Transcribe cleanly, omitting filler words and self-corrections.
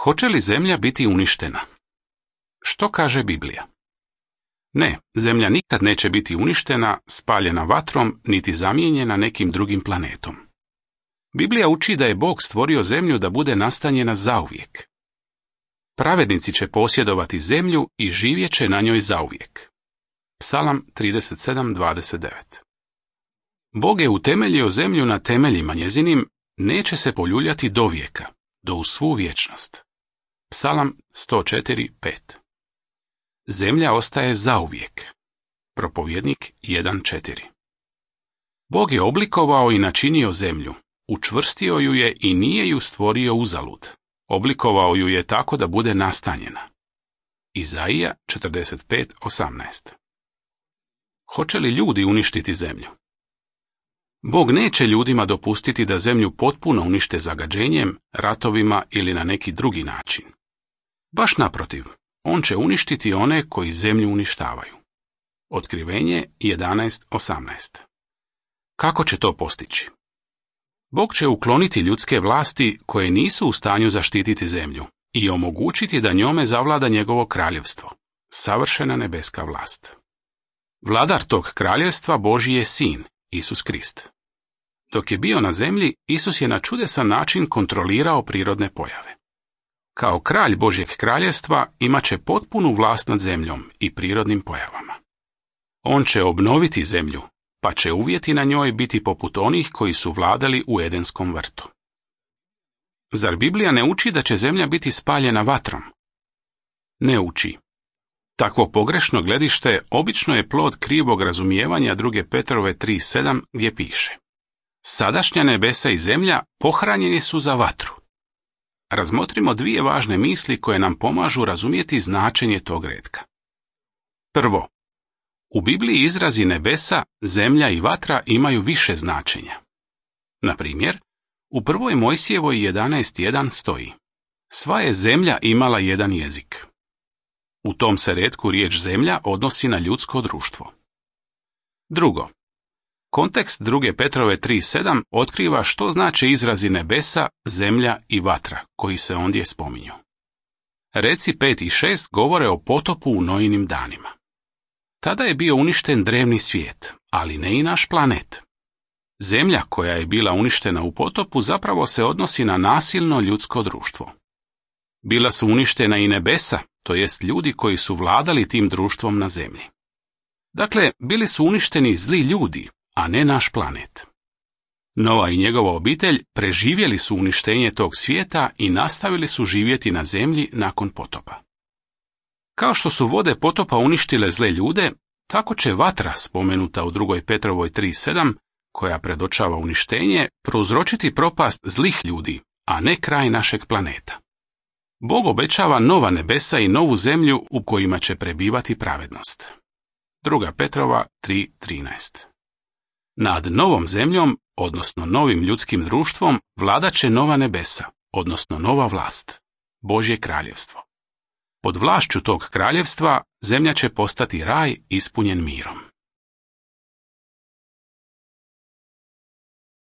Hoće li zemlja biti uništena? Što kaže Biblija? Ne, zemlja nikad neće biti uništena, spaljena vatrom, niti zamijenjena nekim drugim planetom. Biblija uči da je Bog stvorio zemlju da bude nastanjena zauvijek. Pravednici će posjedovati zemlju i živjet će na njoj zauvijek. Psalam 37:29. Bog je utemeljio zemlju na temeljima njezinim, neće se poljuljati do vijeka, do u svu vječnost. Psalam 104:5. Zemlja ostaje zauvijek. Propovjednik 1:4. Bog je oblikovao i načinio zemlju, učvrstio ju je i nije ju stvorio uzalud. Oblikovao ju je tako da bude nastanjena. Izaija 45:18. Hoće li ljudi uništiti zemlju? Bog neće ljudima dopustiti da zemlju potpuno unište zagađenjem, ratovima ili na neki drugi način. Baš naprotiv, on će uništiti one koji zemlju uništavaju. Otkrivenje 11:18. Kako će to postići? Bog će ukloniti ljudske vlasti koje nisu u stanju zaštititi zemlju i omogućiti da njome zavlada njegovo kraljevstvo, savršena nebeska vlast. Vladar tog kraljevstva Božji je Sin, Isus Krist. Dok je bio na zemlji, Isus je na čudesan način kontrolirao prirodne pojave. Kao kralj Božjeg kraljevstva imat će potpunu vlast nad zemljom i prirodnim pojavama. On će obnoviti zemlju, pa će uvjeti na njoj biti poput onih koji su vladali u Edenskom vrtu. Zar Biblija ne uči da će zemlja biti spaljena vatrom? Ne uči. Takvo pogrešno gledište obično je plod krivog razumijevanja 2. Petrove 3:7 gdje piše: Sadašnja nebesa i zemlja pohranjeni su za vatru. Razmotrimo dvije važne misli koje nam pomažu razumjeti značenje tog retka. Prvo, u Bibliji izrazi nebesa, zemlja i vatra imaju više značenja. Na primjer, u 1. Mojsijevoj 11:1 stoji: Sva je zemlja imala jedan jezik. U tom se retku riječ zemlja odnosi na ljudsko društvo. Drugo, kontekst 2. Petrove 3:7 otkriva što znače izrazi nebesa, zemlja i vatra, koji se ondje spominju. Reci 5 i 6 govore o potopu u Nojinim danima. Tada je bio uništen drevni svijet, ali ne i naš planet. Zemlja koja je bila uništena u potopu zapravo se odnosi na nasilno ljudsko društvo. Bila su uništena i nebesa, to jest ljudi koji su vladali tim društvom na zemlji. Dakle, bili su uništeni zli ljudi, a ne naš planet. Noa i njegova obitelj preživjeli su uništenje tog svijeta i nastavili su živjeti na zemlji nakon potopa. Kao što su vode potopa uništile zle ljude, tako će vatra, spomenuta u 2. Petrovoj 3:7, koja predočava uništenje, prouzročiti propast zlih ljudi, a ne kraj našeg planeta. Bog obećava nova nebesa i novu zemlju u kojima će prebivati pravednost. 2. Petrova 3:13. Nad novom zemljom, odnosno novim ljudskim društvom, vladat će nova nebesa, odnosno nova vlast, Božje kraljevstvo. Pod vlašću tog kraljevstva zemlja će postati raj ispunjen mirom.